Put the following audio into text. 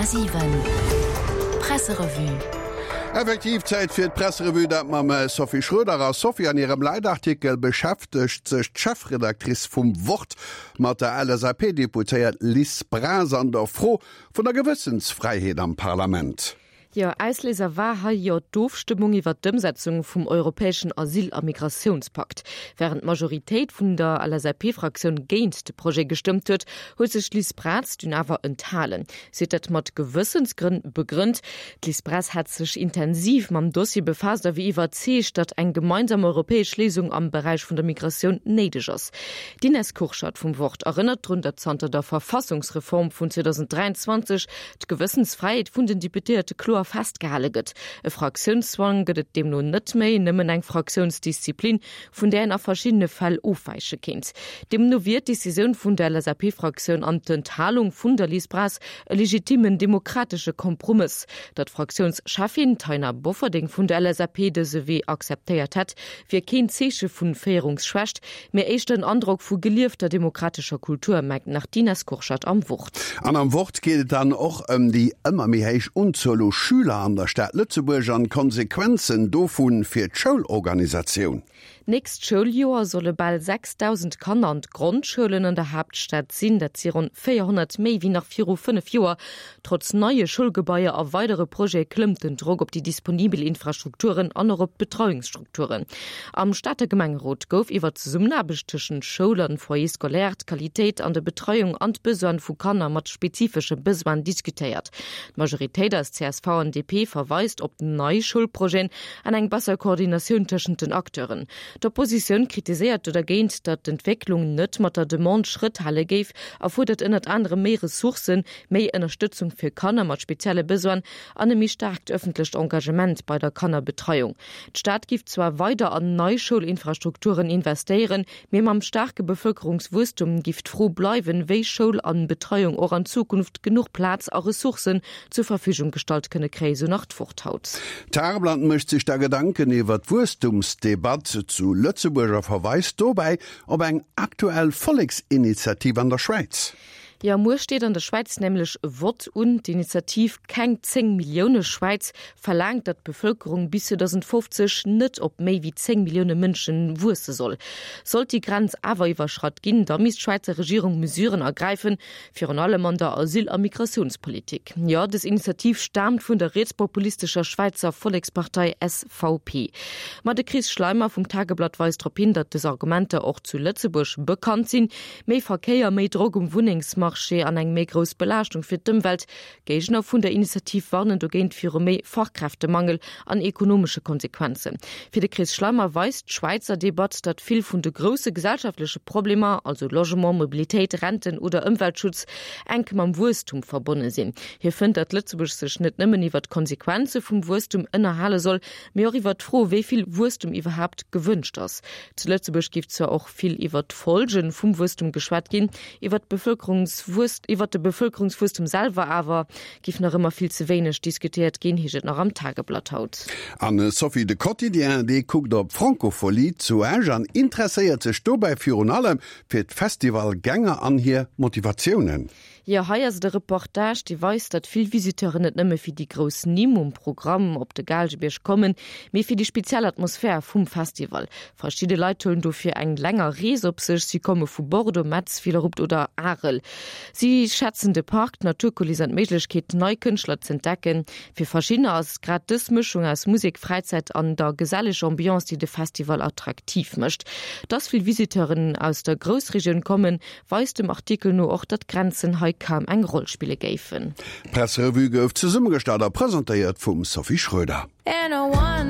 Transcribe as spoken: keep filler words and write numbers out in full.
Komma siwen Presserevue. Effektiv, Zäit fir d'Presserevue, dat mam Sophie Schroeder. A Sophie, an hirem Leitartikel beschäftegt sech d'Chefredactrice vum Wort mat der L S A P-Deputéiert Liz Braz an der Fro vun der Gewëssensfräiheet am Parlament. Jo, Ausléiser war hei jo d'Ofstëmmung iwwer d'Ëmsetzung vum europäeschen Asyl a Migrationspakt. Wärend d'Majoritéit vun der L S A P-Fraktioun géint de Projet gestëmmt huet, huet sech d'Liz Braz dunn awer enthalen. Si huet dat mat Gewëssensgrënn begrënnt. D'Liz Braz hätt sech intensiv mam Dossier befaasst a wier iwwerzeegt, datt eng gemeinsam europäesch Léisung am Beräich vun der Migratioun néideg ass. D'Ines Kurschat vum Wort erënnert drun, datt zanter der Verfassungsreform vun zweedausenddräianzwanzeg d'Gewëssensfräiheet vun den Deputéierte kloer festgehale gëtt. E Fraktiounszwang gëtt et deemno net méi, nëmmen eng Fraktiounsdisziplin, vun där een a verschiddene Fäll ofwäiche kéint. Deemno wier d'Decisioun vun der L S A P-Fraktioun an d'Enthalung vun der Liz Braz e legitimen demokratesche Kompromëss. Datt d'Fraktiounscheffin Taina Bofferding vun der L S A P dëse Wee akzeptéiert hätt, wier keen Zeeche vu Féierungsschwächt, mee éischter en Androck vu geliefter demokratescher Kultur, mengt nach d'Ines Kurschat am Wort. An am Wort geet et dann och ëm déi ëmmer méi héich Unzuel u Schüler an der Stad Lëtzebuerg an d'Konsequenzen dovu fir d'Schoulorganisatioun. Nächst Schouljoer solle bal sechsdausend Kanner an d'Grondschoulen an der Haaptstad sinn, dat si ronn véierhonnert méi wéi nach viru fënnef Joer. Trotz neie Schoulgebaier a weidere Projete klëmmt den Drock op déi disponibel Infrastrukturen an och op d'Betreiungsstrukturen. Am Stater Gemengerot gouf iwwer d'Zesummenaarbecht tëschent Schoul an Foyer scolaire, d'Qualitéit an der Betreiung an d'Besoine vu Kanner mat spezifesche Besoinen diskutéiert. D'Majoritéit aus C S V an D P verweist op nei Schoulprojeten an eng besser Koordinatioun tëschent den Acteuren. D'Oppositioun kritiséiert dogéint, datt d'Entwécklung net mat der Demande Schrëtt hale géif a fuerdert ënnert anerem méi Ressourcen, méi Ënnerstëtzung fir Kanner mat spezielle Besoinen an e méi staarkt ëffentlecht Engagement bei der Kannerbetreiung. D'Stad géif zwar weider an nei Schoulinfrastrukturen investéieren, mee mam staarke Bevëlkerungswuesstum géif d'Fro bleiwen, wéi Schoul an Betreiung och an Zukunft genuch Plaz a Ressourcen zur Verfügung gestallt kënne kréien, sou nach d'Wort haut. D'Tageblatt mécht sech da Gedanken iwwer d'Wuesstumsdebatt zu Lëtzebuerg a verweist dobäi op eng aktuell Volleksinitiativ an der Schwäiz. Jo, muer steet an der Schwäiz nämlech e Vott un. D'Initiativ Keng zéng Millioune Schwäiz verlaangt, datt d'Bevëlkerung bis zweedausendfofzeg net op méi wéi zéng Millioune Mënsche wuesse soll. Sollt déi Grenz awer iwwerschratt ginn, da misst d'Schwäizer Regierung Mesuren ergräifen, virun allem an der Asyl a Migratiounspolitik. Jo, dës Initiativ staamt vun der rietspopulistescher Schwäizer Vollekspartei S V P. Ma de Chris Schleimer vum Tageblatt weist drop hin, datt dës Argumenter och zu Lëtzebuerg bekannt sinn, Méi Verkéier, méi Drock um Wunnengsmarché an eng méi grouss Belaaschtung fir d'Ëmwelt. Géigner vun der Initiativ warnen dogéint viru méi Fachkräftemangel an ekonomesche Konsequenzen. Fir de Chris Schleimer weist d'Schwäizer Debatt, datt vill vun de grousse gesellschaftleche Problemer, also Logement, Mobilitéit, Renten oder Ëmweltschutz, enk mam Wuesstum verbonne sinn. Hie fënnt, datt Lëtzebuerg sech net nëmmen iwwer d'Konsequenze vum Wuesstum ënnerhale soll, mee och iwwer d'Fro, wéi vill Wuesstum iwwerhaapt gewënscht ass. Zu Lëtzebuerg géif zwar och vill iwwer d'Follge vum Wuesstum geschwat ginn, iwwer d'Bevëlkerungswuess iwwer de Bevëlkerungswuesstum selwer awer géif nach ëmmer vill ze wéineg diskutéiert ginn, heescht et nach am Tageblatt haut. An Sophie, de Quotidien, dee kuckt op d'Francophonie zu Esch an interesséiert sech dobäi virun allem fir d'Festivalgänger an hir Motivatiounen. Jo, hei ass de Reportage, dee weist, datt vill Visiteuren net nëmme fir déi grouss Nimm um Programm op de Gaalgebierg kommen, mee fir déi speziell Atmosphär vum Festival. Verschidde Leit huelen dofir eng länger Rees op sech, si komme vu Bordeaux, Metz, Villerupt oder Arel. Si schätzen de Park, d'Naturkuliss an d'Méiglechkeet, nei Kënschtler ze entdecken. Fir verschiddener ass grad dës Mëschung aus Musek, Fräizäit an der geselleger Ambiance, déi de Festival attraktiv mécht. Dass vill Visiteuren aus der Groussregioun kommen, weist dem Artikel no och, datt Grenzen hei kaum eng Roll spille géifen. D'Presserevue gouf zesummegestallt a presentéiert vum Sophie Schröder. And I want